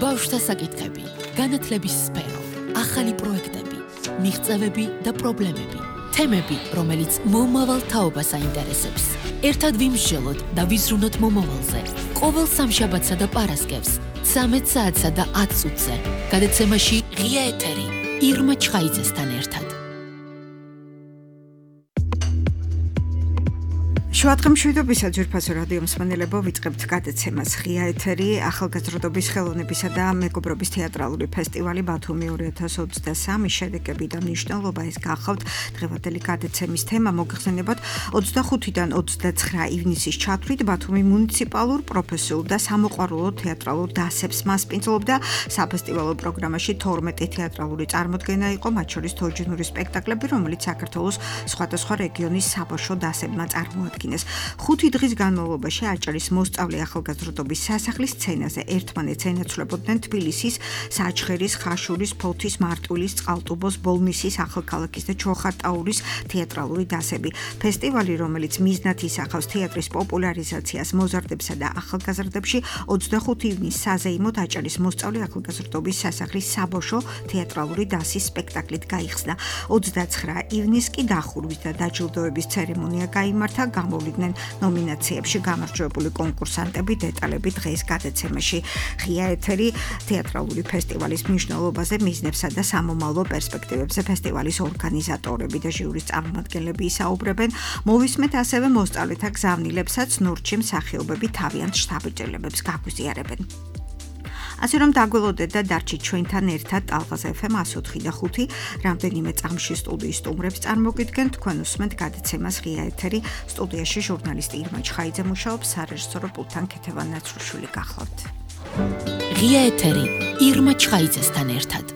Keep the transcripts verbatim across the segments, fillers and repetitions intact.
ბავშვთა საკითხები, განათლების სფერო, ახალი პროექტები, მიღწევები და პრობლემები, თემები, რომელიც მომავალ თაობას აინტერესებს. ერთად ვიმსჯელოთ და ვიზრუნოთ მომავალზე. ყოველ სამშაბათსა და პარასკევს, ცამეტ საათსა და ათ წუთზე, გადაცემაში ღია ეთერი, ირმა ჩხაიძესთან ერთად. შუადღემშვიდობისა ძვირფასო რადიო მსმენელებო, ვიწყებთ გადაცემას ღია ეთერი, ახალგაზრდობის ხელოვნებისა და მეგობრობის თეატრალური ფესტივალი ბათუმი ორი ათას ოცდასამი შედეგები და მნიშვნელობა. ეს გახავთ დღევანდელი გადაცემის თემა. მოგხსენებათ, ოცდახუთიდან ოცდაცხრა ივნისის ჩათვლით ბათუმი მუნიციპალურ, პროფესიულ და სამოყვარულო თეატრალურ დასებს მასპინძლობდა. საფესტივალო პროგრამაში თორმეტი თეატრალური წარმოდგენა იყო, მათ შორის თოჯინური სპექტაკლები, რომელიც საქართველოს სხვადასხვა რეგიონის საბავშვო დასებმა წარმოადგენს. ხუთი დღის განმავლობაში აჭარის მოსწავლე ახალგაზრდობის სასახლის სცენაზე ერთმანეთს ენაცვლებოდნენ თბილისის, საჩხერის, ხაშურის, ფოთის, მარტვილის, წყალტუბოს, ბოლნისის, ახალქალაქის და ჩოხატაურის თეატრალური დასები. ფესტივალი, რომელიც მიზნად ისახავს თეატრის პოპულარიზაციას მოზარდებსა და ახალგაზრდებში, ოცდახუთი ივნის საზეიმოდ აჭარის მოსწავლე ახალგაზრდობის სასახლის საბავშვო თეატრალური დასის სპექტაკლით გაიხსნა. ოცდაცხრა ივნის კი დახურვის და დაჯილდოების ცერემონია გაიმართა. გამოვლინდნენ ნომინაციებში გამარჯვებული კონკურსანტები. დეტალები დღეს გადაცემაში. ღია ეთერი თეატრალური ფესტივალის მნიშვნელობაზე, მიზნებსა და სამომავლო პერსპექტივებზე ფესტივალის ორგანიზატორები და ჟიურის წარმომადგენლები ისაუბრებენ. მოვისმეთ ასევე მოსწავლეთა გზავნილებსაც, ნორჩი მსახიობები თავიანთ შთაბეჭდილებებს გაგვიზიარებენ. ასე რომ დაგველოდეთ და დარჩით ჩვენთან ერთად ტალღაზ ეფ ემ εκατო ოთხი და ხუთი რამდენიმე წამში სტუდიის სტუმრებს წარმოგიდგენთ. თქვენ უსმენთ გადაცემას ღია ეთერი. სტუდიაში ჟურნალისტი ირმა ჩხაიძე მუშაობს, სარეჟისორო პულტთან ქეთევან ნაცრუშვილი გახლავთ. ღია ეთერი ირმა ჩხაიძესთან ერთად.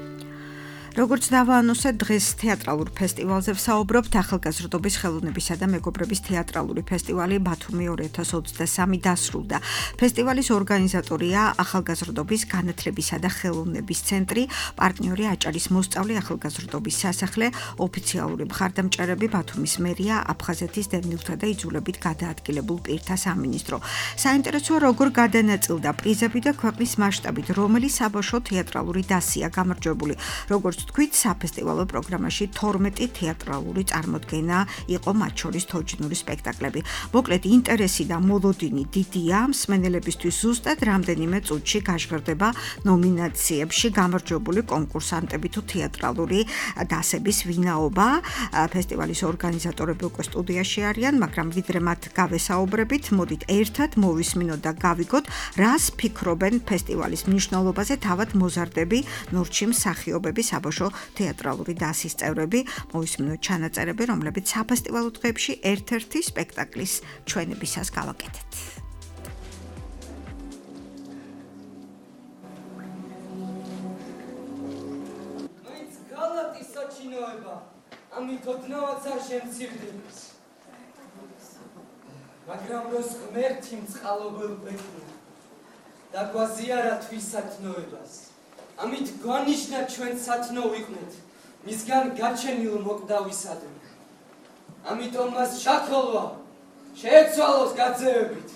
როგორც დავაანონსეთ, დღეს თეატრალურ ფესტივალზე ვსაუბრობთ. ახალგაზრდობის ხელოვნებისა და მეგობრობის თეატრალური ფესტივალი ბათუმი ორი ათას ოცდასამი დასრულდა. ფესტივალის ორგანიზატორია ახალგაზრდობის განათლებისა და ხელოვნების ცენტრი, პარტნიორი აჭარის მოსწავლე ახალგაზრდობის სასახლე, ოფიციალური მხარდამჭერები ბათუმის მერია, აფხაზეთის დევნილთა და იძულებით გადაადგილებულ პირთა სამინისტრო. საინტერესოა, როგორ გადანაწილდა პრიზები და ქვეყნის მასშტაბით რომელი საბავშვო თეატრალური დასია გამარჯვებული. როგორც თქვით, საფესტივალო პროგრამაში თორმეტი თეატრალური წარმოდგენა იყო, მათ შორის თოჯინური სპექტაკლები. მოკლედ, ინტერესი და მოლოდინი დიდია. მსმენელებისთვის ზუსტად რამდენიმე წუთში გაჟღერდება ნომინაციებში გამარჯვებული კონკურსანტები თუ თეატრალური დასების ვინაობა. ფესტივალის ორგანიზატორები უკვე სტუდიაში არიან, მაგრამ ვიდრე მათ გავესაუბრებით, მოდით ერთად მოვისმინოთ და გავიგოთ, რას ფიქრობენ ფესტივალის მნიშვნელობაზე თავად მოზარდები, ნორჩი მსახიობები, საბავშვო თეატრალური დასის წევრები. მოვისმინოთ ჩანაწერები, რომლებიც საფესტივალო დღეებში ერთ-ერთი სპექტაკლის ჩვენებისას გავაკეთეთ. მაინც გალატი საჩინოება, ამით ოდნავაც არ შემცირდებს. მაგრამ როს ღმერთი მწყალობელ ბექნო და გვაზიარა თვისათნოებას. ამით გვანიშნა ჩვენ სათნო ვიყვნეთ, მისგან გაჩენილ მოკვდავისადმი. ამიტომ მას შაქოლვა შეეცვალოს გაძევებით.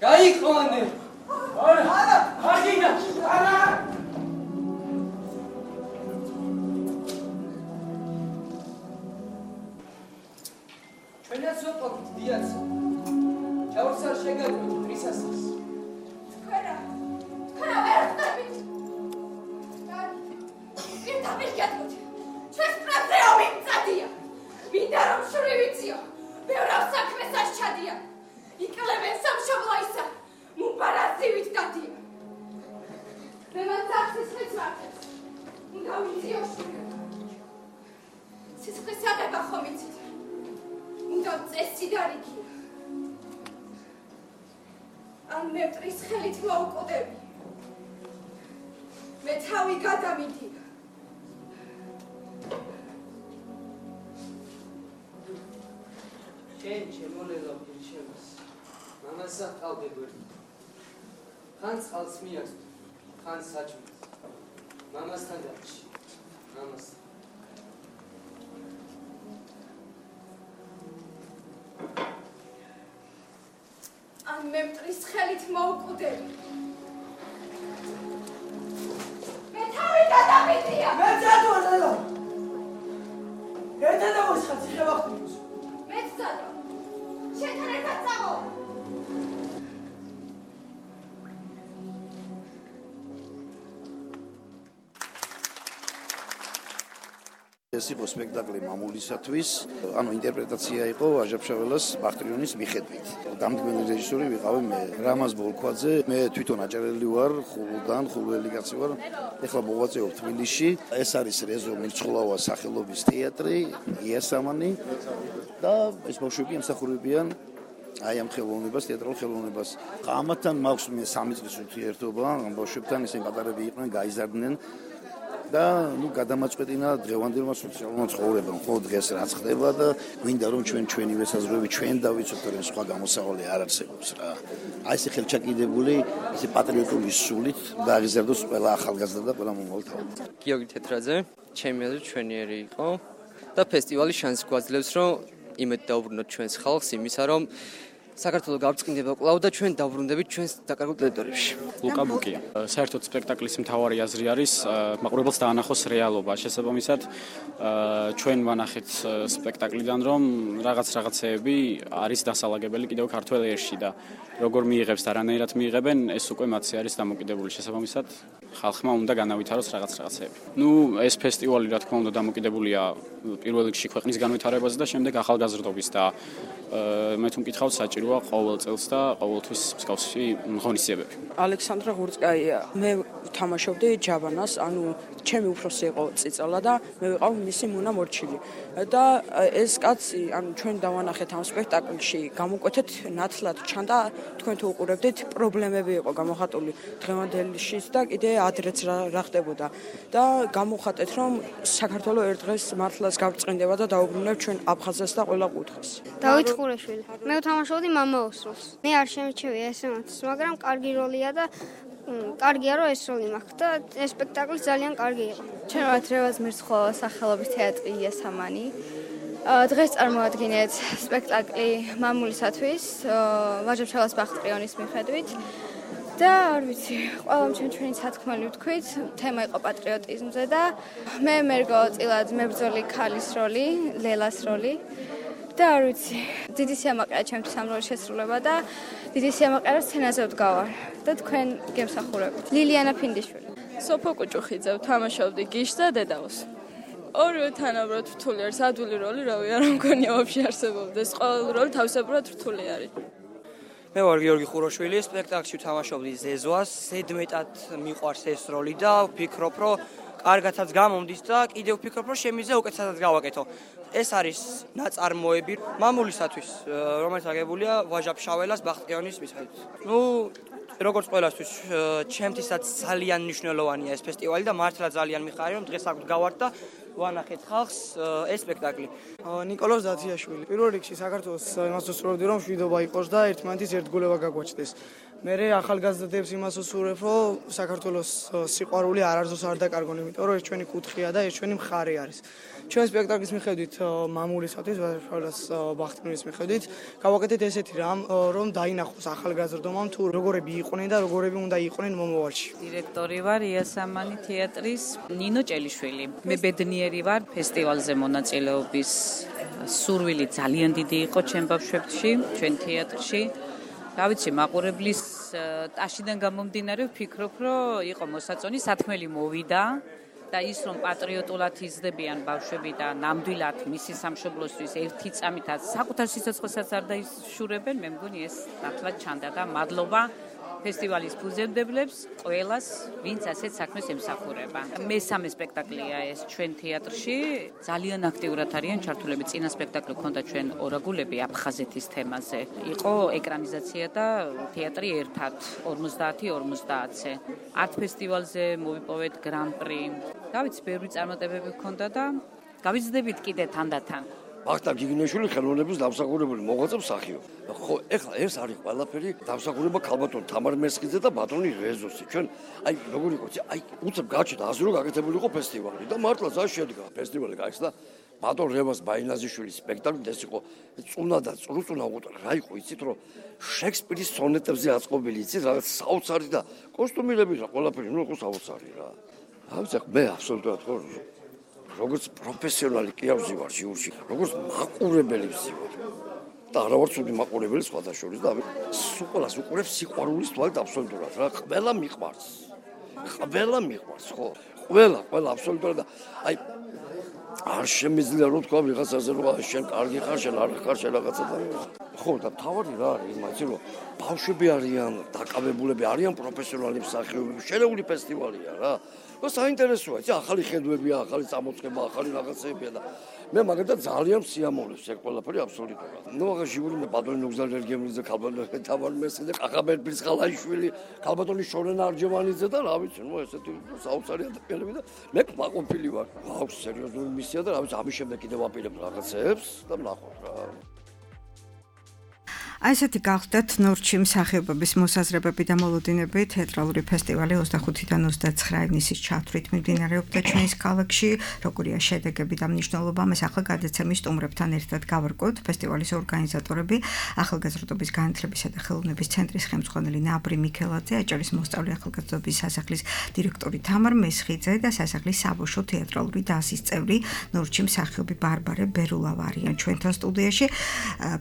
გაიყვანე! არა! არა! არა! ჩვენაც ვაყოფით დიაცო. ჩაურს არ შეგაგვით პრისასას. თქვენა! თქვენა ვერ ხდებით! დამირგეთოთ, ჩვენს პრებზე ომიმწადია. მინდა რომ შრივიციო, ბევრ საქმეს ასჩადია. იკლებენ სამშობლოისა, მუბარაზივით დადია. მე მას ახსის ხეცვართებს, უნდა ვიციო შვილო. სიცხეს აღება ხომ იცით, უნდა წესი დარიგია. ან მე მტრის ხელით მოუკვდები, მე თავი გადამიდია. შენ შემონელა პირჩევას, მამასა თავდებოდი. ხან წყალს მიაქვს, ხან საჭმელს. მამასთან დარჩი, მამასთან. ან მე მტრის ხელით მოუკვდები. ეს იყო სპექტაკლი მამულისათვის, ანუ ინტერპრეტაცია იყო ვაჟა-ფშაველას ბახტრიონის მიხედვით. დამდგმელი რეჟისორი ვიყავი მე, რამაზ ბოლქვაძე, მე თვითონ აჭარელი ვარ, ხულიდან, ხულველი კაცი ვარ. ეხლა მოღვაწეობ თბილისში. ეს არის რეზო მირცხულავა სახელობის თეატრი, იასამანი და ეს ბავშვები ემსახურებიან აი ამ ხელოვნებას, თეატრალურ ხელოვნებას. ამათთან მაქვს მე სამი წლის ურთიერთობა, ამ ბავშვებთან ისინი პატარები იყვნენ, გაიზარდნენ და ნუ გადამაწყვეტინა დღევანდელმა სოციალურმა ცხოვრებამ. ხო დღეს რაც ხდება და გვინდა რომ ჩვენ ჩვენი ვესაზრები ჩვენ დავიცოთ, რომ სხვა გამოსავალი არ არსებობს რა. აი ეს ხელჩაკიდებული, ესე პატრიოტული სულით დააღიზარდოს ყველა ახალგაზრდა და ყველა მომავალ თაობა. გიორგი თეთრაძე, ჩემი აზრით ჩვენიერი იყო და ფესტივალი შანსს გვაძლევს, რომ იმედ დავუბრუნოთ ჩვენს ხალხს იმისა, რომ საქართველოს გაბრწყინდება კვლავ და ჩვენ დავბრუნდებით ჩვენს დაკარგულ ტერიტორიებში. ლუკა ბუკია. საერთოდ სპექტაკლის მთავარი აზრი არის მაყურებელს დაანახოს რეალობა. შესაბამისად, ჩვენ ვანახეთ სპექტაკლიდან, რომ რაღაც რაღაცეები არის დასალაგებელი კიდევ ქართველ ერში და როგორ მიიღებს და რანაირად მიიღებენ, ეს უკვე მათზე არის დამოკიდებული. შესაბამისად, ხალხმა უნდა განავითაროს რაღაც რაღაცეები. ნუ ეს ფესტივალი რა თქმა უნდა დამოკიდებულია პირველ რიგში ქვეყნის განვითარებაზე და შემდეგ ახალგაზრდობის და მე თუ მკითხავთ საჭიროა ყოველ წელს და ყოველთვის მსგავსი ღონისძიებები. ალექსანდრა ღურწკაია. მე თამაშობდი ჯაბანას, ანუ ჩემი უფროსი იყო წიწალა და მე ვიყავ მისი მუნა მორჩილი. და ეს კაცი, ანუ ჩვენ დავანახეთ ამ სპექტაკლში, გამოკვეთეთ ნათლად ჩანდა, თქვენ თუ უყურებდით, პრობლემები იყო გამოხატული დღევანდელშიც და კიდე ადრეც რა ხდებოდა. და გამოხატეთ, რომ საქართველოს ერთ დღეს მართლაც გაბრწყინდება და დაუბრუნებს ჩვენ აფხაზეთს და ყველა კუთხეს. დავით ხურაშვილი. მე ვთამაშობდი მამაოს როლს. მე არ შემიჩევია ესე მათს, მაგრამ კარგი როლია და კარგია რომ ეს როლი მაქვს და ეს სპექტაკლი ძალიან კარგი იყო. ჩვენ რევაზ მირცხულავა სახელობის თეატრი იასამანი. დღეს წარმოადგინეთ სპექტაკლი მამულისათვის, ვაჟა-ფშაველას ბახტრიონის მიხედვით. და არ ვიცი, ყველამ ჩვენ ჩვენი სათქმელი ვთქვით, თემა იყო პატრიოტიზმზე და მე მერგო წილად მებრძოლი ქალის როლი, ლელას როლი. და არ ვიცი, დიდი სიამაყეა ჩემთვის ამ როლის შესრულება და დიდი სიამაყეა სცენაზე ვდგავარ და თქვენ გემსახურებით. ლილიანა ფინდიშვილი. სოფო კუჭუხიძე, ვთამაშობდი გიშს და დედაოს. ორივე თანაბრად რთული არის, ადვილი როლი, რავი, არ მგონია ვაფშე არსებობდეს. ყოველი როლი თავისებურად რთული არის. მე ვარ გიორგი ხუროშვილი, სპექტაკლში ვთამაშობდი ზეზვას, ზედმეტად მიყვარს ეს როლი და ვფიქრობ, რომ კარგათაც გამომდის და კიდევ ვფიქრობ, რომ შემიძლია უკეთესად გავაკეთო. ეს არის ნაწარმოები მამულისათვის, რომელიც აგებულია ვაჟა-ფშაველას ბახტრიონის მიხედვით. ნუ როგორც ყველასთვის, ჩემთვისაც ძალიან მნიშვნელოვანია ეს ფესტივალი და მართლა ძალიან მიხარია, რომ დღეს აქ ვდგავართ და ვანახეთ ხალხს ეს სპექტაკლი. ნიკოლოზ დათიაშვილი. პირველ რიგში საქართველოს იმას ვსურვებდი, რომ მშვიდობა იყოს და ერთმანეთის ერთგულება გაგვაჩნდეს. მერე ახალგაზრდებს იმას ვსურვებ, რომ საქართველოს სიყვარული არ არზოს არ დაკარგონ, იმიტომ რომ ეს ჩვენი კუთხეა და ეს ჩვენი მხარე არის. ჩვენ სპექტაკლის მიხედვით მამულისათვის, ვაჟა-ფშაველას ბახტრიონის მიხედვით, გავაკეთეთ ესეთი რამ, რომ დაინახოს ახალგაზრდობამ თუ როგორები იყვნენ და როგორები უნდა იყვნენ მომავალში. დირექტორი ვარ იასამანი თეატრის, ნინო ჭელიშვილი. მე ბედნიერი ვარ ფესტივალზე მონაწილეობის სურვილი ძალიან დიდი იყო ჩემ ბავშვებში, ჩვენ თეატრში. რა ვიცი, მაყურებლის ტაშიდან გამომდინარე ვფიქრობ, რომ იყო მოსაწონი, სათქმელი მოვიდა და ის რომ პატრიოტულად იზრდებიან ბავშვები და ნამდვილად მისი სამშობლოსთვის ერთი წამითაც საკუთარ სიცოცხლესაც არ დაიშურებენ, მე მგონი ეს ნათლად ჩანდა და მადლობა ფესტივალის ფუძემდებლებს, ყველას, ვინც ასეთ საქმეს ემსახურება. მესამე სპექტაკლია ეს ჩვენ თეატრში, ძალიან აქტიურად არიან ჩართულები. წინა სპექტაკლი ჰქონდა ჩვენ ორაგულები აფხაზეთის თემაზე. იყო ეკრანიზაცია და თეატრი ერთად ორმოცდაათი ორმოცდაათზე. არტ ფესტივალზე მოვიპოვეთ გრან-პრი. რა ვიცი, ბევრი წარმატებები ჰქონდა და გავიზრდებით კიდე თანდათან. ვახტანგ გიგინეშვილი ხელოვნების დამსახურებული მოღვაწე მსახიობ. ხო, ეხლა ეს არის ყველაფერი დამსახურება ქალბატონ თამარ მესხიძე და ბატონი რეზოსი. ჩვენ აი როგორ იყო, აი უცებ გაჩნდა ასე რომ გაკეთებული იყო ფესტივალი და მართლა ძალიან შედგა ფესტივალი გაიხსნა ბატონ რევაზ ბაინაზიშვილის სპექტაკლი ეს იყო წუნა და წრუწუნა უყურე. რა იყო იცით რომ შექსპირის სონეტებზე აწყობილი იცით რაღაც საოცარი და კოსტუმირები რა ყველაფერი ნუ იყო საოცარი რა. ამის მე აბსოლუტურად ხო როგორც პროფესიონალი კი არ ვზივარ ჟიურში, როგორც მაყურებელი ვზივარ. და არა ვარ ცუდი მაყურებელი სხვათა შორის და სულ უყურებს სიყვარულის თვალით აბსოლუტურად რა, ყველა მიყვარს. ყველა მიყვარს, ხო? ყველა, ყველა აბსოლუტურად და აი არ შემიძლია რომ თქვა ვიღაცაზე რომ შენ კარგი ხარ, შენ არ ხარ, შენ რაღაცა და ხო და თავი რა არის, მაიცი რომ ბავშვები არიან, დაკავებულები არიან პროფესიონალი მსახიობები, შერეული ფესტივალია რა. და საინტერესოა, იცი, ახალი ხედვებია, ახალი წამოწყება, ახალი რაღაცებია და მე მაგათაც ძალიან სიამოვნებს ეგ ყველაფერი აბსოლუტურად. ნუ აღარ ჟიური მე ბატონი ნუგზარ ერგემლიძე, ქალბატონი თამარ მესხიძე, ყახაბერ ბრძღალაიშვილი, ქალბატონი შორენა არჯევანიძე და რა ვიცი, ნუ ესეთი საოცარი ადამიანები და მე მაყოფილი ვარ. ვაუ, სერიოზული მისია და რა ვიცი, ამის შემდეგ კიდევ ვაპირებ რაღაცებს და ვნახოთ რა. აი ესეთი გახდათ ნორჩი მსახიობების მოსაზრებები და მოლოდინები თეატრალური ფესტივალი ოცდახუთიდან ოცდაცხრა ივნისის ჩათვლით მიმდინარეობდა ჩვენს ქალაქში. როგორია შედეგები და მნიშვნელობა, მას ახლა გადაცემის სტუმრებთან ერთად გავარკვევთ. ფესტივალის ორგანიზატორები ახალგაზრდობის განათლებისა და ხელოვნების ცენტრის ხელმძღვანელი ნაბრი მიქელაძე, აჭარის მოსწავლე ახალგაზრდობის სასახლის დირექტორი თამარ მესხიძე და სასახლის საბავშვო თეატრალური დასის წევრი ნორჩი მსახიობი ბარბარე ბერულავა არიან ჩვენთან სტუდიაში.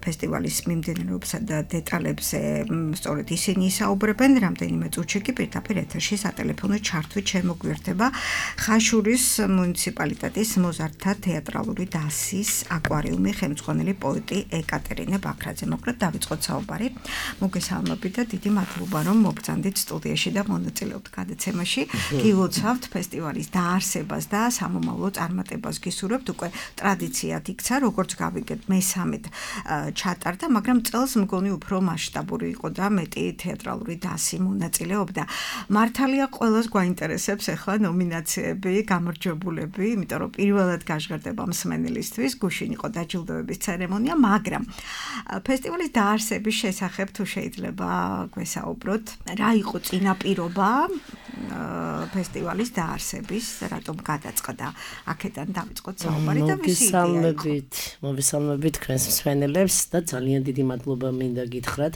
ფესტივალის მიმდინარეობასა და დეტალებზე სწორედ ისინი ისაუბრებენ. რამდენიმე წუთში კი პირდაპირ ეთერში სატელეფონო ჩართვით შემოგვიერთება ხაშურის მუნიციპალიტეტის მოზარდთა თეატრალური დასის აკვარიუმი ხელმძღვანელი პოეტი ეკატერინე ბაქრაძე. მოკლედ დავიწყოთ საუბარი. მოგესალმებით და დიდი მადლობა რომ მოგწანდით სტუდიაში და მონაწილეობთ გადაცემაში. გილოცავთ ფესტივალის დაარსებას და სამომავლო წარმატებას გისურვებთ. უკვე ტრადიციად იქცა, როგორც გავიგეთ, მესამედ ჩატარდა, მაგრამ წელს მგონი უფრო მასშტაბური იყო და მეტი თეატრალური დასი მონაწილეობდა. მართალია ყველას გვაინტერესებს ახლა ნომინაციები, გამარჯვებულები, იმიტომ რომ პირველად გაჟღერდება მსმენელისთვის, გუშინ იყო დაჯილდოების ცერემონია, მაგრამ ფესტივალის დაარსების შესახებ თუ შეიძლება გვესაუბროთ, რა იყო წინაპირობა ფესტივალის დაარსების, რატომ გადაწყდა? აქედან დავიწყოთ საუბარი და ვისი იდეა იყო? მოგესალმებით, მოგესალმებით თქვენს მსმენელებს და ძალიან დიდი მადლობა მინდა გითხრათ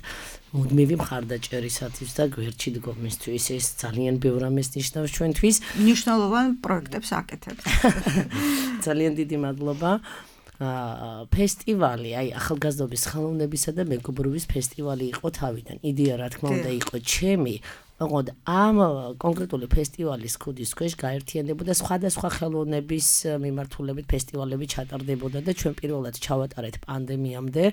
მუდმივი მხარდაჭერისათვის და გვერდში დგომისთვის. ეს ძალიან ბევრ ამას ნიშნავს ჩვენთვის. მნიშვნელოვან პროექტებს აკეთებთ. ძალიან დიდი მადლობა. ფესტივალი, აი ახალგაზრდობის ხელოვნებისა და მეგობრობის ფესტივალი იყო თავიდან. იდეა რა თქმა უნდა იყო ჩემი. ოღონდ ამ კონკრეტული ფესტივალის ქუდის ქვეშ გაერთიანდებოდა სხვადასხვა ხელოვნების მიმართულებით ფესტივალები ჩატარდებოდა და ჩვენ პირველად ჩავატარეთ პანდემიამდე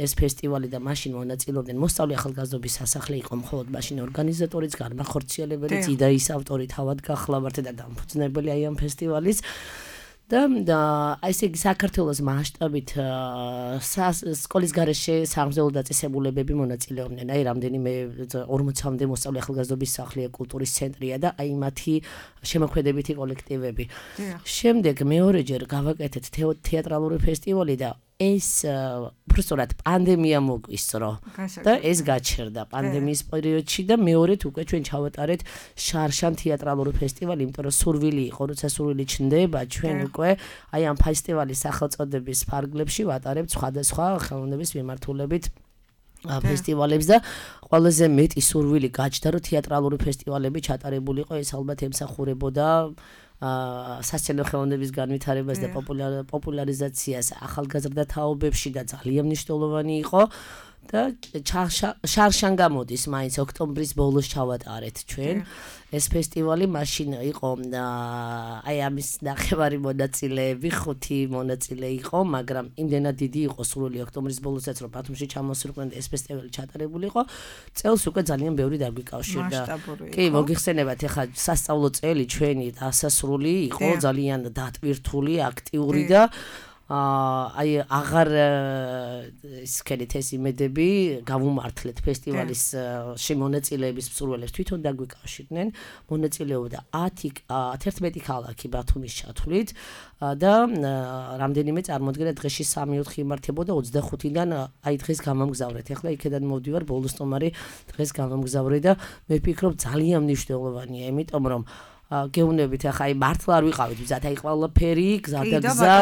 ეს ფესტივალი და მაშინ მონაწილეობდნენ მოსწავლე ახალგაზრდობის სასახლე იყო მხოლოდ მაშინ ორგანიზატორიც, განმახორციელებელიც, იდეის ავტორი თავად გახლავართ და დამფუძნებელი აი ამ ფესტივალის. და აი ესე იგი საქართველოს მასშტაბით სკოლის გარეშე სამგზელო დაწესებულებები მონაწილეობდნენ. აი რამდენიმე ორმოცამდე მოსწავლე ახალგაზრდობის სახლია, კულტურის ცენტრია და აი მათი შემოქმედებითი კოლექტივები. შემდეგ მეორეჯერ გავაკეთეთ თეატრალური ფესტივალი და ეს უბრალოდ პანდემია მოგვისწრო და ეს გაჩერდა პანდემიის პერიოდში და მეორედ უკვე ჩვენ ჩავატარეთ შარშან თეატრალური ფესტივალი, იმიტომ რომ სურვილი იყო, როცა სურვილი ჩნდება, ჩვენ უკვე აი ამ ფესტივალის სახელწოდების ფარგლებში ვატარებთ სხვადასხვა ხელოვნების მიმართულებით ფესტივალებს და ყველაზე მეტი სურვილი გაჩნდა, რომ თეატრალური ფესტივალები ჩატარებულიყო, ეს ალბათ ემსახურებოდა სასცენო ხელოვნების განვითარებას და პოპულარიზაციას ახალგაზრდა თაობებში და ძალიან მნიშვნელოვანი იყო და შარშან გამოდის მაინც ოქტომბრის ბოლოს ჩავატარეთ ჩვენ ეს ფესტივალი. მაშინ იყო აი ამის ნახევარი მონაწილეები, ხუთი მონაწილე იყო, მაგრამ იმდენად დიდი იყო სურვილი ოქტომბრის ბოლოსაც რომ ბათუმში ჩამოსულიყო ეს ფესტივალი ჩატარებულიყო. წელს უკვე ძალიან ბევრი დაგვიკავშირდა. კი, მოგიხსენებათ, ეხლა სასწავლო წელი ჩვენი დასასრული იყო ძალიან დატვირთული, აქტიური და აი აღარ ისქენით ეს იმედები გავუმართლეთ ფესტივალის შემონაწილეების მსურველებს თვითონ დაგვიკავშირდნენ. მონაწილეობდა ათერთმეტი ქალაქი ბათუმის ჩათვლით და რამდენიმე წარმოადგენა დღეში სამი-ოთხი იმართებოდა ოცდახუთიდან აი დღეს გამამგზავრეთ. ახლა იქედან მოვდივარ ბოლოს სტომარი დღეს გამამგზავრე და მე ვფიქრობ ძალიან მნიშვნელოვანია, იმიტომ რომ გეუნებით ახლა აი მართლა არ ვიყავით მზად აი ყველაფერი გზა და გზა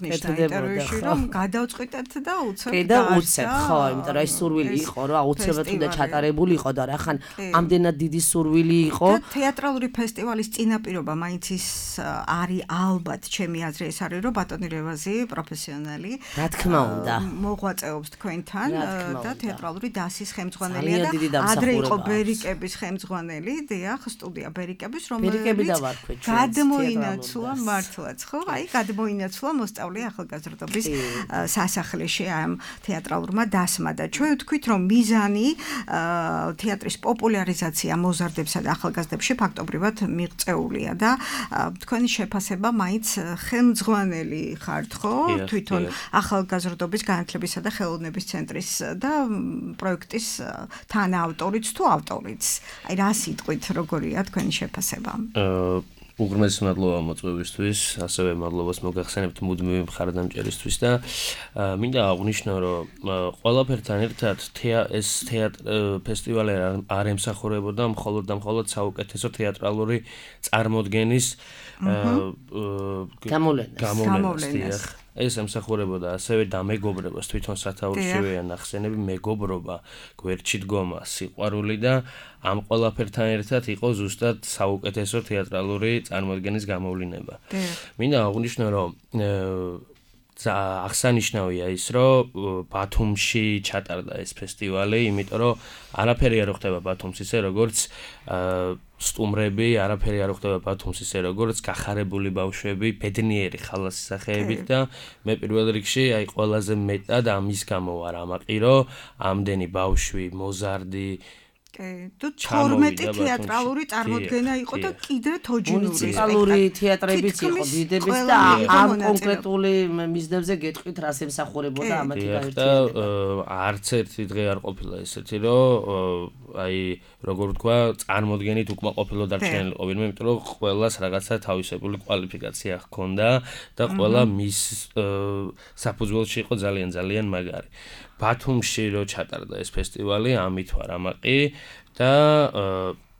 ინტერვიუში რომ გადავწყვიტეთ და უცებ კი და უცებ ხო იმიტომ რომ აი სურვილი იყო რომ აუცილებლად უნდა ჩატარებულიყო და რახან ამდენად დიდი სურვილი იყო და თეატრალური ფესტივალის წინაპირობა მაინც ის არის ალბათ ჩემი აზრი ეს არის რომ ბატონი რევაზი პროფესიონალი რა თქმა უნდა მოღვაწეობს თქვენთან და თეატრალური დასის ხელმძღვანელია და ადრე იყო ბერიკების ხელმძღვანელი დიახ სტუდია ბერიკების ადამიანებს, რომლებიც გადმოინაცვლა მართლაც, ხო? აი, გადმოინაცვლა მოსწავლე ახალგაზრდობის სასახლეში ამ თეატრალურმა დასმა და ჩვენ ვთქვით, რომ მიზანი თეატრის პოპულარიზაცია მოზარდებსა და ახალგაზრდებში ფაქტობრივად მიღწეულია და თქვენი შეფასება მაინც ხელმძღვანელი ხართ, ხო? თვითონ ახალგაზრდობის განათლებისა და ხელოვნების ცენტრის და პროექტის თანაავტორიც თუ ავტორიც. აი რა სიტყვით როგორია თქვენი შეფასება? უღრმესი მადლობა მოწვევისთვის, ასევე მადლობას მოგახსენებთ მუდმივი მხარდამჭერისთვის და მინდა აღვნიშნო, რომ ყველაფერთან ერთად ეს ფესტივალი არ ემსახურებოდა მხოლოდ და მხოლოდ საუკეთესო თეატრალური წარმოდგენის გამოვლენას. ეს ემსახურებოდა ასევე დამეგობრებას, თვითონ სათაურშივეა ნახსენები, მეგობრობა, გვერდში დგომა, სიყვარული და ამ ყველაფერთან ერთად იყო ზუსტად საუკეთესო თეატრალური წარმოდგენის გამოვლინება. მინდა აღვნიშნო, რომ აღსანიშნავია ის, რომ ბათუმში ჩატარდა ეს ფესტივალი, იმიტომ რომ არაფერი არ ხდება ბათუმს ისე როგორც სტუმრები, არაფერი არ ხდება ბათუმს ისე როგორც გახარებული ბავშვები, ბედნიერი ხალასის სახეებით და მე პირველ რიგში აი ყველაზე მეტად ამის გამო ვარ ამაყი, რომ ამდენი ბავშვი, მოზარდი თუ თორმეტი თეატრალური წარმოდგენა იყო და კიდე თოჯინური მუნიციპალური თეატრებიც იყო დიდების და ამ კონკრეტული მიზნებზე გეტყვით რას ემსახურებოდა ამათი გაერთიანება. არც ერთი დღე არ ყოფილა ესეთი, რომ აი როგორ ვთქვა, წარმოდგენით უკმაყოფილო დარჩენილი ყოფილიყო, იმიტომ რომ ყველას რაღაცა თავისებური კვალიფიკაცია ჰქონდა და ყველა მის საფუძველში იყო ძალიან ძალიან მაგარი. ბათუმში რო ჩატარდა ეს ფესტივალი, ამით ვარ ამაყი და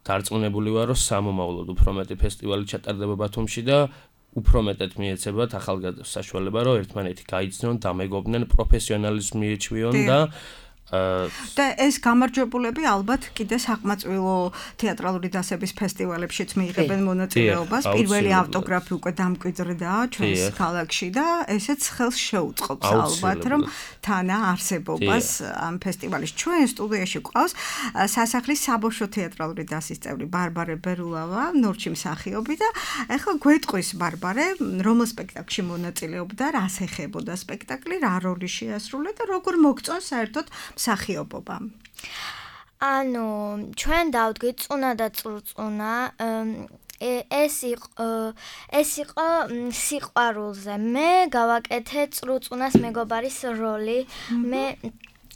დარწმუნებული ვარ, რომ სამომავლოდ უფრო მეტი ფესტივალი ჩატარდება ბათუმში და უფრო მეტად მიეცებათ ახალგაზრდებს საშუალება, რომ ერთმანეთი გაიცნონ, დამეგობრდნენ, პროფესიონალიზმი მიეჩვიონ და და ეს გამარჯვებულები ალბათ კიდე საკმაწვილო თეატრალური დასების ფესტივალებშიც მიიღებენ მონაწილეობას. პირველი ავტოგრაფი უკვე დამკვიდრდა ჩვენს ქალაქში და ესეც ხელს შეუწყობს ალბათ, რომ თანა არსებობას ამ ფესტივალის. ჩვენ სტუდიაში გვყავს სასახლის საბავშვო თეატრალური დასის წევრი ბარბარე ბერულავა, ნორჩი მსახიობი და ახლა გვეტყვის ბარბარე, რომელ სპექტაკლში მონაწილეობდა, რას ეხებოდა სპექტაკლი, რა როლი შეასრულა და როგორ მოგწონს საერთოდ მსახიობობა. ანუ ჩვენ დავდგით წუნა და წრუწუნა, ეს იყო ეს იყო სიყვარულზე. მე გავაკეთე წრუწუნას მეგობარის როლი. მე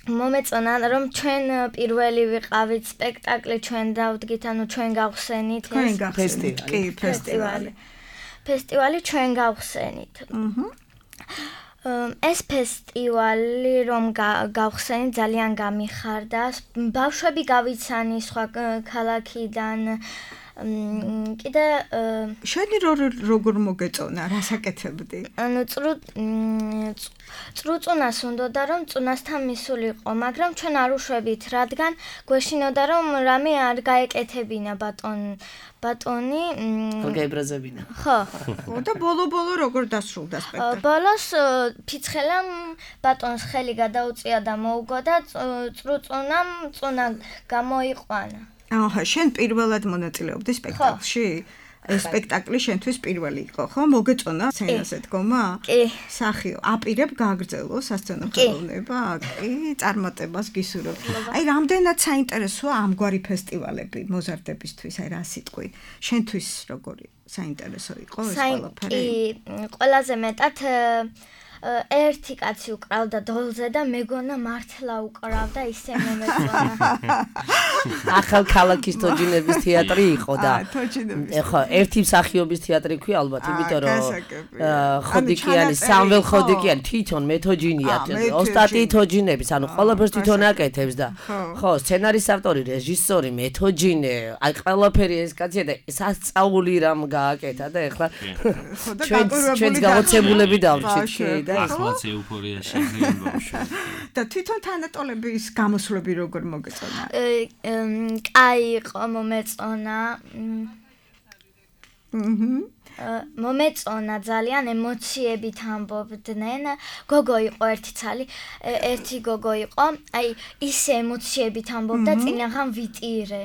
მომეწონა რომ ჩვენ პირველი ვიყავით სპექტაკლი, ჩვენ დავდგით, ანუ ჩვენ გავხსენით ეს ფესტივალი. ფესტივალი. ფესტივალი ჩვენ გავხსენით. აჰა. ეს ფესტივალი რომ გავხსენით ძალიან გამიხარდა. ბავშვები გავიცანი სხვა ქალაქიდან. კიდე შენი როგორ მოგეწონა, რას აკეთებდი? ანუ წრუ წრუწუნას უნდოდა რომ წუნასთან მისულიყო, მაგრამ ჩვენ არ უშვებით, რადგან გვეშინოდა რომ რამე არ გაეკეთებინა ბატონ ბატონი არ გაებრაზებინა. ხო. და ბოლო-ბოლო როგორ დასრულდა სპექტაკლი? ბოლოს ფიცხელამ ბატონს ხელი გადაუწია და მოუგო და წრუწუნამ წუნა გამოიყვანა. აჰა, შენ პირველად მონაწილეობდი სპექტაკლში? ეს სპექტაკლი შენთვის პირველი იყო, ხო? მოგეწონა სცენაზე დგომა? კი. სახიო, აპირებ გააგრძელო სასცენო ხელოვნება? კი, წარმატებას გისურვებ. აი, რამდენად საინტერესოა ამგვარი ფესტივალები მოზარდებისთვის, აი რა სიტყვი? შენთვის როგორი საინტერესო იყო ეს ყველაფერი? კი, ყველაზე მეტად ერთი კაცი უკრავდა დოლზე და მეგონა მართლა უკრავდა, ისე მომეწონა. ახალ ქალაქის თოჯინების თეატრი იყო და ხო, ერთი მსახიობის თეატრი ქვია ალბათ, იმიტომ რომ ხოდიკიანი, სამվել ხოდიკიანი თვითონ მეთოჯინია, ოსტატი თოჯინების, ანუ ყველაფერს თვითონ აკეთებს და ხო, სცენარის ავტორი, რეჟისორი, მეთოჯინე, აი ყველაფერი ეს კაცია და სასწაული რამ გააკეთა და ეხლა ჩვენს გამოცემულები დავრჩით კი და ახლაც ეუფორია შეგვიძლია ბავშვი. და თვითონ თანატოლების გამოსვლები როგორ მოგეწონა? კაი იყო, მომეწონა. აჰა. მომეწონა ძალიან, ემოციებით ამბობდნენ. გოგო იყო ერთი ცალი, ერთი გოგო იყო, აი ისე ემოციებით ამბობდა, წინაღამ ვიტირე.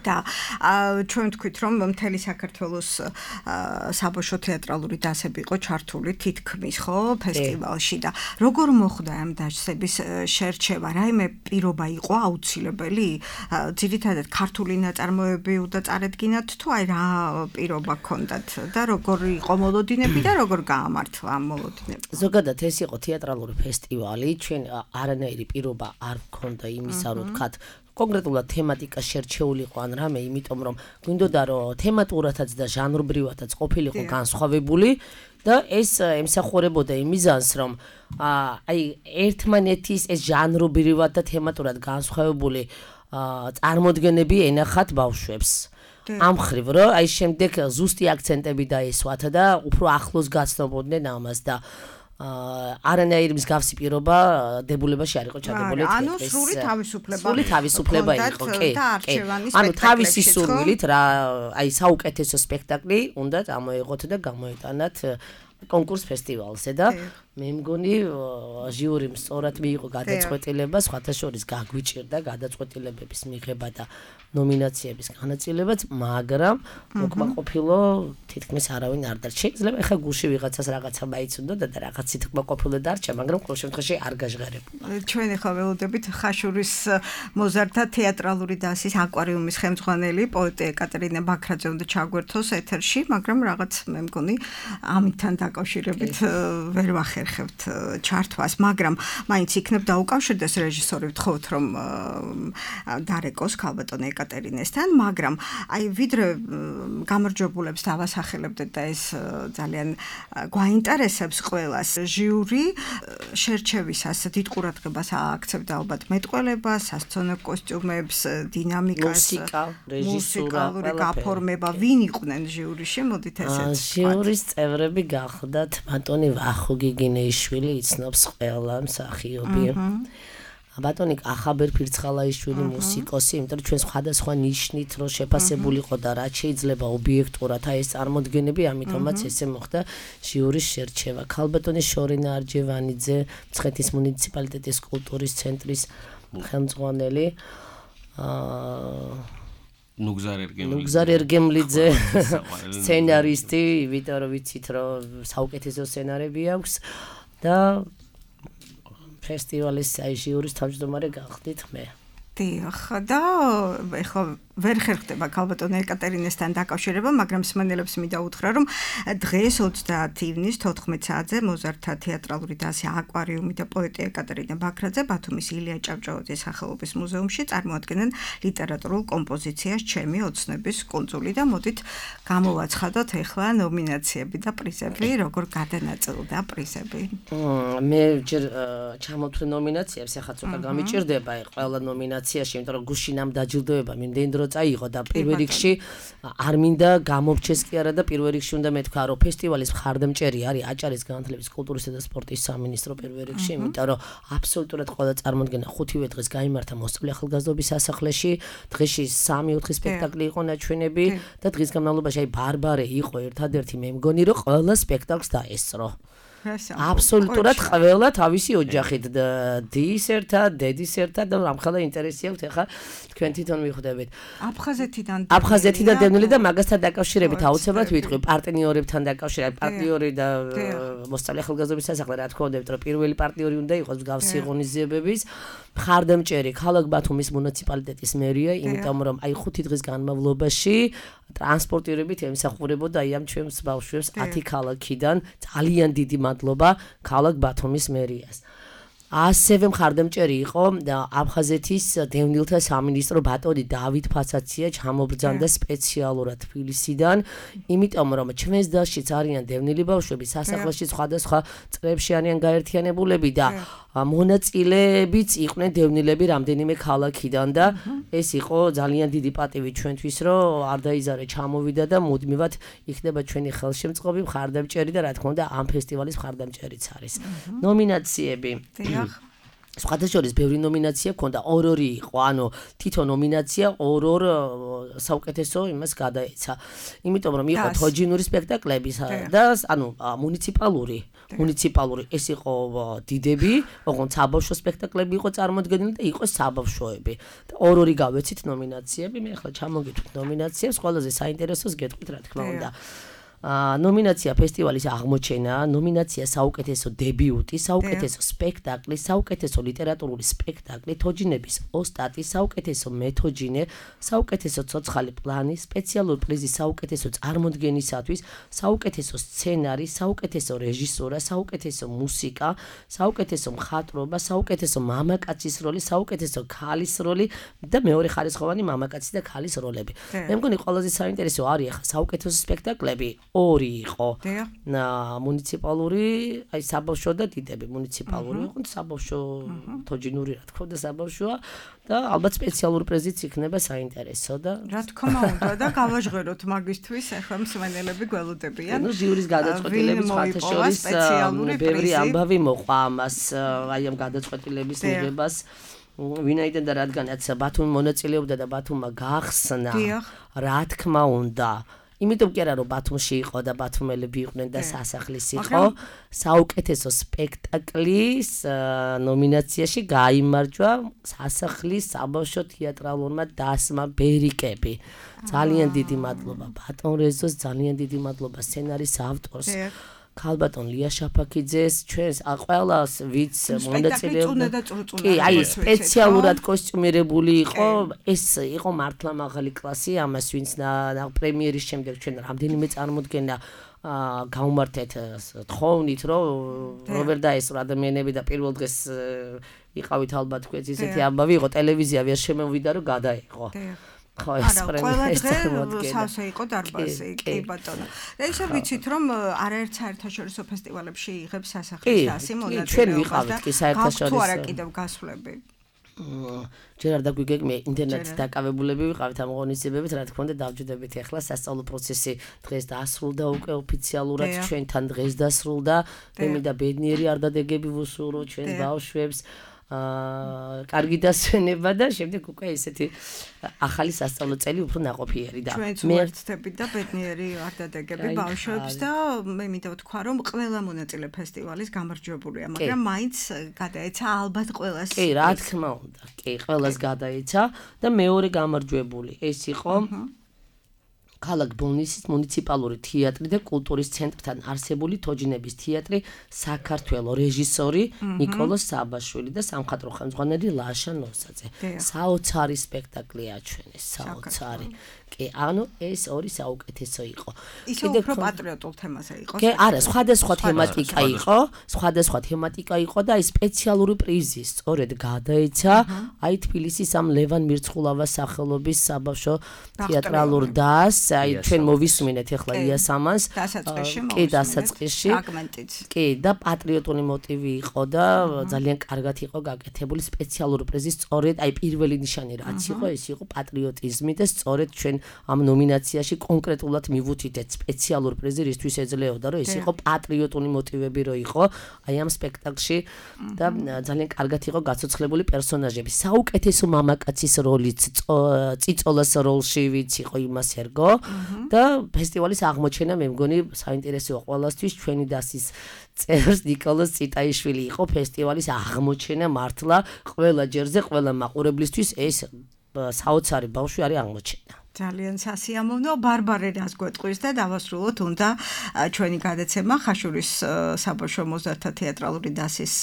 და ჩვენ ვთქვით რომ მთელი საქართველოს საბავშვო თეატრალური დასები იყო ჩართული თითქმის ხო ფესტივალში და როგორ მოხდა ამ დასების შერჩევა რაიმე პირობა იყო აუცილებელი ძირითადად ქართული ნაწარმოები უნდა წარედგინათ თუ აი რა პირობა ჰქონდათ და როგორ იყო მოლოდინები და როგორ გაამართლა ამ მოლოდინები ზოგადად ეს იყო თეატრალური ფესტივალი ჩვენ არანაირი პირობა არ ჰქონდა იმისა რომ ვთქვათ კონკრეტულად თემატიკა შერჩეული იყო ან რამე, იმიტომ რომ გვინდოდა რომ თემატურათაც და ჟანრობრივათაც ყოფილიყო განსხვავებული და ეს ემსახურებოდა იმ მიზანს, რომ აი ერთმანეთის ეს ჟანრობრივად და თემატურად განსხვავებული წარმოდგენები ენახათ ბავშვებს. ამ ხრივ რომ აი შემდეგ ზუსტი აქცენტები დაესვათ და უფრო ახლოს გაცნობოდნენ ამას და არანაირი მსგავსი პირობა დებულებაში არ იყო ჩადებული თეატრის. ანუ სრული თავისუფლება. სრული თავისუფლება იყო, კი, კი. ანუ თავისი სურვილით რა, აი საუკეთესო სპექტაკლი უნდა წამოიღოთ და გამოიტანათ კონკურს ფესტივალზე და მე მგონი ჟიურიმ სწორად მიიღო გადაწყვეტილება, სხვათა შორის გაგვიჭირდა გადაწყვეტილებების მიღება და ნომინაციების განაწილებაც, მაგრამ უკმაყოფილო თითქმის არავინ არ დარჩა. შეიძლება ეხა გულში ვიღაცას რაღაცა მაიცუნდა და რაღაცით უკმაყოფილო დარჩა, მაგრამ ყოველ შემთხვევაში არ გაჟღერებულა. ჩვენ ეხლა ველოდებით ხაშურის მოზარდთა თეატრალური დასის აკვარიუმის ხელმძღვანელი პოეტი ეკატერინე ბაქრაძე უნდა ჩაგვერთოს ეთერში, მაგრამ რაღაც მე მგონი ამითთან დაკავშირებით ვერ ვახერხებთ ჩართვას, მაგრამ მაინც იქნებ დაუკავშირდეს რეჟისორი ვთხოვთ რომ დარეკოს ქალბატონ ეკატერინესთან, მაგრამ აი ვიდრე გამარჯვებულებს დავასახელებდეთ და ეს ძალიან გვაინტერესებს ყველას ჟიური შერჩევისას დიდ ყურადღებას ააქცევდა ალბათ მეტყველებას, სასცენო კოსტიუმებს, დინამიკას, მუსიკა, რეჟისურა, გაფორმება, ვინ იყვნენ ჟიურიში, მოდით ესეც. ჟიურის წევრები გახდათ ბატონი ვახო გიგინეიშვილი, იცნობს ყველა მსახიობი. ბატონი ახაბერ ფირცხალაიშვილი მუსიკოსი, იმიტომ რომ ჩვენ სხვადასხვა ნიშნით რო შეფასებულიყო და რაც შეიძლება ობიექტურად აი ეს წარმოდგენები, ამიტომაც ესე მოხდა ჟიურის შერჩევა. ქალბატონი შორინა არჯევანიძე, მცხეთის მუნიციპალიტეტის კულტურის ცენტრის ხელმძღვანელი. აა ნუგზარ ერგემლიძე. ნუგზარ ერგემლიძე, სცენარისტი, იმიტომ რომ ვიცით რომ საუკეთესო სცენარები აქვს და ფესტივალის აი ჟიურის თავმჯდომარე გახდით მე. დიახ, და ეხლა ვერ ხერხდება ქალბატონ ეკატერინესთან დაკავშირება, მაგრამ მსმენელებს მინდა უთხრა, რომ დღეს ოცდაათი ივნის თოთხმეტ საათზე მოზარდთა თეატრალური დასი აკვარიუმი და პოეტი ეკატერინე ბაქრაძე ბათუმის ილია ჭავჭავაძის სახელობის მუზეუმში წარმოადგენენ ლიტერატურულ კომპოზიციას ჩემი ოცნების კუნძული და მოდით გამოვაცხადოთ ეხლა ნომინაციები და პრიზები, როგორ გადანაწილდა პრიზები. მე ჯერ ჩამოვთვლი ნომინაციებს, ახლა ცოტა გამიჭირდება ყველა ნომინაციაში, იმიტომ რომ გუშინამ დაჯილდოება მიმდენდრო წაიღო და პირველ რიგში არ მინდა გამოვჩეს კი არა და პირველ რიგში უნდა მეთქვა რომ ფესტივალის მხარდამჭერი არის აჭარის განათლების კულტურისა და სპორტის სამინისტრო პირველ რიგში, იმიტომ რომ აბსოლუტურად ყველა წარმოდგენა ხუთივე დღეს გაიმართა მოსწავლე ახალგაზრდობის სასახლეში, დღეში სამი ოთხი სპექტაკლი იყო ნაჩვენები და დღის განმავლობაში აი ბარბარე იყო ერთადერთი მე მგონი რომ ყველა სპექტაკლს დაესწრო. აბსოლუტურად ყველა თავისი ოჯახით დის ერთად, დედის ერთად და რამხელა ინტერესი აქვს ახლა თქვენ თვითონ მიხვდებით. აფხაზეთიდან აფხაზეთიდან დევნილი და მაგასთან დაკავშირებით აუცილებლად ვიტყვი პარტნიორებთან დაკავშირებით, პარტნიორი და მოსწავლე ახალგაზრდობის სასახლე რა თქმა უნდა, რომ პირველი პარტნიორი უნდა იყოს მსგავსი ღონისძიებების მხარდამჭერი ქალაქ ბათუმის მუნიციპალიტეტის მერია, იმიტომ რომ აი ხუთი დღის განმავლობაში ტრანსპორტირებით ემსახურებოდა აი ამ ჩვენს ბავშვებს ათი ქალაქიდან ძალიან დიდი მადლობა ქალაქ ბათუმის მერიას. ასევე მხარდამჭერი იყო აფხაზეთის დევნილთა სამინისტრო ბატონი დავით ფაცაცია ჩამობრძანდა სპეციალურად თბილისიდან, იმიტომ რომ ჩვენს დასშიც არიან დევნილი ბავშვები, სასახლეში სხვადასხვა წრეებში არიან გაერთიანებულები და მონაწილეებიც იყვნენ დევნილები რამდენიმე ქალაქიდან და ეს იყო ძალიან დიდი პატივი ჩვენთვის, რომ არ დაიზარე ჩამოვიდა და მუდმივად იქნება ჩვენი ხელშემწყობი, მხარდამჭერი და რა თქმა უნდა ამ ფესტივალის მხარდამჭერიც არის. ნომინაციები სხვადასხვა ბევრი ნომინაცია ქონდა, ორ-ორი იყო, ანუ თითო ნომინაცია ორ-ორ საუკეთესო იმას გადაეცა. იმიტომ რომ იყო თოჯინური სპექტაკლები და ანუ მუნიციპალური, მუნიციპალური ეს იყო დიდები, ოღონდ საბავშვო სპექტაკლები იყო წარმოდგენილი და იყო საბავშვოები. და ორ-ორი გავეცით ნომინაციები, მე ახლა ჩამოგითვლით ნომინაციებს, ყველაზე საინტერესოს გეტყვით რა თქმა უნდა. ნომინაცია ფესტივალის აღმოჩენა, ნომინაცია საუკეთესო დებიუტი, საუკეთესო სპექტაკლი, საუკეთესო ლიტერატურული სპექტაკლი, თოჯინების ოსტატი, საუკეთესო მეთოჯინე, საუკეთესო ცოცხალი პლანი, სპეციალური პრიზი საუკეთესო წარმოდგენისათვის, საუკეთესო სცენარი, საუკეთესო რეჟისურა, საუკეთესო მუსიკა, საუკეთესო მხატვრობა, საუკეთესო მამაკაცის როლი, საუკეთესო ქალის როლი და მეორე ხარისხოვანი მამაკაცის და ქალის როლები. მე მგონი ყველაზე საინტერესო არის ახლა საუკეთესო სპექტაკლები ორი იყო. მუნიციპალური, აი საბავშვო და დიდები, მუნიციპალური იყო, საბავშვო თოჯინური რა თქმა უნდა საბავშვოა და ალბათ სპეციალური პრიზიც იქნება საინტერესო და რა თქმა უნდა და გავაჟღეროთ მაგისთვის ახლა მსმენელები გველოდებიან. ნუ ჟიურის გადაწყვეტილების ხათაშორის ბევრი ამბავი მოყვა ამას, აი ამ გადაწყვეტილების მიღებას. ვინაიდან და რადგანაც ბათუმი მონაწილეობდა და ბათუმმა გახსნა, რა თქმა უნდა იმიტომ კი არა რომ ბათუმში იყო და ბათუმელები იყვნენ და სასახლის იყო საუკეთესო სპექტაკლის ნომინაციაში გაიმარჯვა სასახლის საბავშვო თეატრალურმა დასმა ბერიკები ძალიან დიდი მადლობა ბატონ რეზოს ძალიან დიდი მადლობა სცენარის ავტორს ქალბატონ ლია შაფაკიძეს ჩვენს ყველას ვიც მონაწილეობდა კი აი სპეციალურად კოსტიუმირებული იყო ეს იყო მართლა მაღალი კლასი ამას ვინც პრემიერის შემდეგ ჩვენ რამდენიმე წარმოდგენა გავმართეთ თხოვნით რომ რობერ დაესწრო ადამიანები და პირველ დღეს იყავით ალბათ თქვენს ისეთი ამბავი იყო ტელევიზია ვერ შემოვიდა რომ გადაეყო ხო ეს პრემიერის წარმოდგენა სავსე იყო დარბაზი კი ბატონო ესე ვიცით რომ არაერთ საერთაშორისო ფესტივალებში იღებს სასახლის დასი მონაწილეობას ჩვენ ვიყავით კი საერთაშორისო თუ არა კიდევ გასვლები ჯერ არ დაგვიგეგმე ინტერნეტის დაკავებულები ვიყავით ამ ღონისძიებებით რა თქმა უნდა დავჯდებით ახლა სასწავლო პროცესი დღეს დასრულდა უკვე ოფიციალურად ჩვენთან დღეს დასრულდა მე და ბედნიერი არ დადეგები ვუსურვო ჩვენს ბავშვებს აა კარგი დასვენება და შემდეგ უკვე ესეთი ახალი სასწავლო წელი უფრო ნაყოფიერი და მე ვერთდები და ბედნიერი არ დადეგები ბავშვებს და მე მინდა ვთქვა რომ ყველა მონაწილე ფესტივალის გამარჯვებულია მაგრამ მაინც გადაეცა ალბათ ყველას კი რა თქმა უნდა კი ყველას გადაეცა და მეორე გამარჯვებული ეს იყო ქალაქ ბოლნისის მუნიციპალური თეატრი და კულტურის ცენტრთან არსებული თოჯინების თეატრი საქართველოს რეჟისორი ნიკოლოზ საბაშვილი და სამხატვრო ხელმძღვანელი ლაშა ნოსაძე. საოცარი სპექტაკლი აჩვენეს, საოცარი. კი, ანუ ეს ორი საუკეთესო იყო. ისე უფრო პატრიოტულ თემაზე იყო. კი, არა, სხვადასხვა თემატიკა იყო, სხვადასხვა თემატიკა იყო და აი სპეციალური პრიზი სწორედ გადაეცა აი თბილისის ამ ლევან მირცხულავას სახელობის საბავშვო თეატრალურ დასს აი ჩვენ მოვისმინეთ ახლა იასამანს კი დასაწყისში კი და პატრიოტული მოტივი იყო და ძალიან კარგად იყო გაკეთებული სპეციალური პრიზი სწორედ აი პირველი ნიშანი რაც იყო ეს იყო პატრიოტიზმი და სწორედ ჩვენ ამ ნომინაციაში კონკრეტულად მივუთითეთ სპეციალური პრიზი რისთვის ეძლეოდა რომ ეს იყო პატრიოტული მოტივები რო იყო აი ამ სპექტაკლში და ძალიან კარგად იყო გაცოცხლებული პერსონაჟები საუკეთესო მამაკაცის როლიც წიწოლას როლში ვიც იყო იმას ერგო და ფესტივალის აღმოჩენა მე მგონი საინტერესოა ყველასთვის ჩვენი დასის წერს ნიკოლოზ ციტაიშვილი იყო ფესტივალის აღმოჩენა მართლა ყველა ჯერზე ყველა მაყურებლისთვის ეს საოცარი ბავშვი არის აღმოჩენა ძალიან სასიამოვნო ბარბარე რას გვეტყვის და დავასრულოთ უნდა ჩვენი გადაცემა ხაშურის საბავშვო მოზარდთა თეატრალური დასის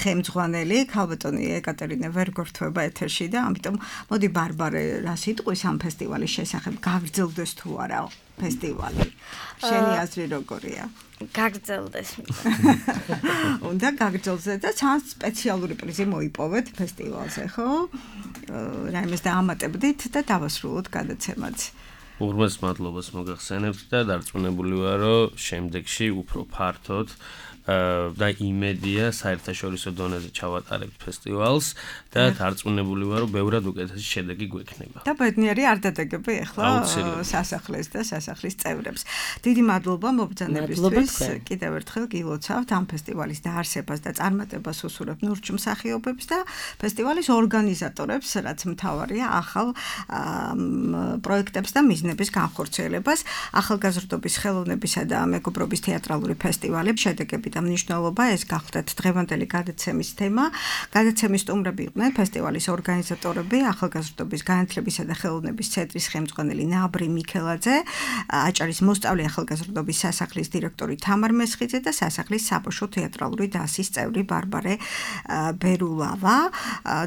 ხელმძღვანელი ქალბატონი ეკატერინე ვერ გვერდება ეთერში და ამიტომ მოდი ბარბარე რას იტყვის ამ ფესტივალის შესახებ გაგრძელდეს თუ არა ფესტივალი შენი აზრი როგორია გაგრძელდეს უნდა გაგრძელდეს და ძალიან სპეციალური პრიზი მოიპოვეთ ფესტივალზე ხო რაიმეს დაამატებდით და დავასრულოთ გადაცემაც. უღრმეს მადლობას მოგახსენებთ და დარწმუნებული ვარ, რომ შემდეგში უფრო ფართოდ და იმედია საერთაშორისო დონეზე ჩავატარებთ ფესტივალს და დარწმუნებული ვარ, რომ ბევრად უკეთესი შედეგი გვექნება. და ბედნიერი არ დადაგები ახლა სასახლეს და სასახლის წევრებს. დიდი მადლობა მობრძანებისთვის. კიდევ ერთხელ გილოცავთ ამ ფესტივალის დაარსებას და წარმატებას უსურვებ ნურჩ მსახიობებს და ფესტივალის ორგანიზატორებს, რაც მთავარია ახალ პროექტებს და მიზნების განხორციელებას. ახალგაზრდობის ხელოვნებისა და მეგობრობის თეატრალური ფესტივალი, შედეგები და მნიშვნელობა, ეს გახლდათ დღევანდელი გადაცემის თემა. გადაცემის სტუმრები იყვნენ ფესტივალის ორგანიზატორები, ახალგაზრდობის განათლებისა და ხელოვნების ცენტრის ხელმძღვანელი ნაბრი მიქელაძე, აჭარის მოსწავლე ახალგაზრდობის სასახლის დირექტორი თამარ მესხიძე და სასახლის საბავშვო თეატრალური დასის წევრი ბარბარე ბერულავა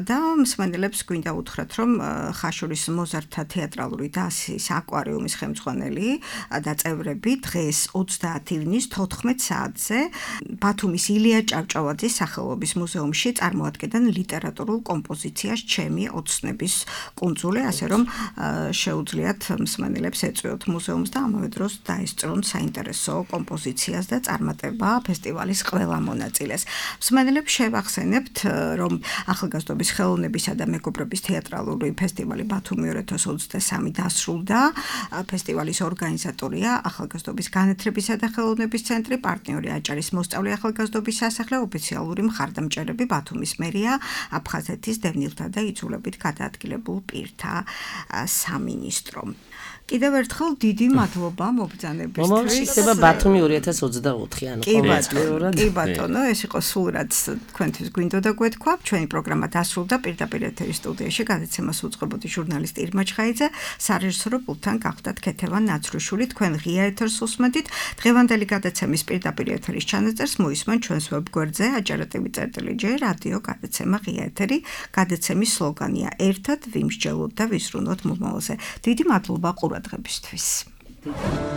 და მსმენელებს გვინდა უთხრათ, რომ ხაშურის მოზარდთა თეატრალური დასის აკვარიუმის ხელმძღვანელი და წევრები დღეს ოცდაათი ივნის თოთხმეტ საათზე ბათუმის ილია ჭავჭავაძის სახელობის მუზეუმში წარმოადგენენ ლიტერატურულ კომპოზიციას ჩემი ოცნების კუნძული, ასე რომ შეუძლიათ მსმენელებს ეწვიოთ მუზეუმს და ამავე დროს დაესწრონ საინტერესო კომპოზიციას და წარმატება ფესტივალის ყველა მონაწილეს. მსმენელებს შევახსენებთ, რომ ახალგაზრდობის ხელოვნებისა და მეგობრობის თეატრალური ფესტივალი ბათუმი ორი ათას ოცდასამი დასრულდა. ფესტივალის ორგანიზატორია ახალგაზრდობის განათლებისა და ხელოვნების ცენტრი, პარტნიორი აჭარის მოსწავლე ახალგაზრდობის სასახლე, ოფიციალური მხარდამჭერები ბათუმის მერია, აფხაზეთის დევნილთა და იძულებით გადაადგილებულ პირთა სამინისტრო. კიდევ ერთხელ დიდი მადლობა მობრძანებისთვის. მომავალში ხდება ბათუმი ორი ათას ოცდაოთხი, ანუ ყოველწლიურად. კი ბატონო, ეს იყო სულ რაც თქვენთვის გვინდოდა გვეთქვა. ჩვენი პროგრამა დასრულდა. პირდაპირ ეთერის სტუდიაში გადაცემას უწყებოდი ჟურნალისტი ირმა ჩხაიძე, სარეჟისორო პულტთან გახდათ ქეთევან ნაცრუშვილი. თქვენ ღია ეთერს უსმენთ. დღევანდელი გადაცემის პირდაპირ ეთერის ჩანაწერს მოისმენთ ჩვენს ვებგვერდზე აჯარატები წერტილი ჯე რადიო გადაცემა ღია ეთერი. გადაცემის სლოგანია ერთად ვიმსჯელოთ და ვისრუნოთ მომავალზე. დიდი მადლობა ყურადღებისთვის.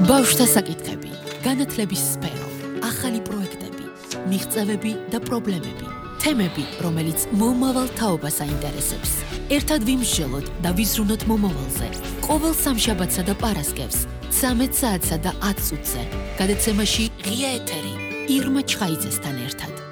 ბავშვთა საკითხები, განათლების სფერო, ახალი პროექტები, მიღწევები და პრობლემები, თემები, რომელიც მომავალ თაობას აინტერესებს. ერთად ვიმსჯელოთ და ვიზრუნოთ მომავალზე. ყოველ სამშაბათსა და პარასკევს, ცამეტ საათსა და ათ წუთზე. გადაცემაში ღია ეთერი ირმა ჩხაიძესთან ერთად.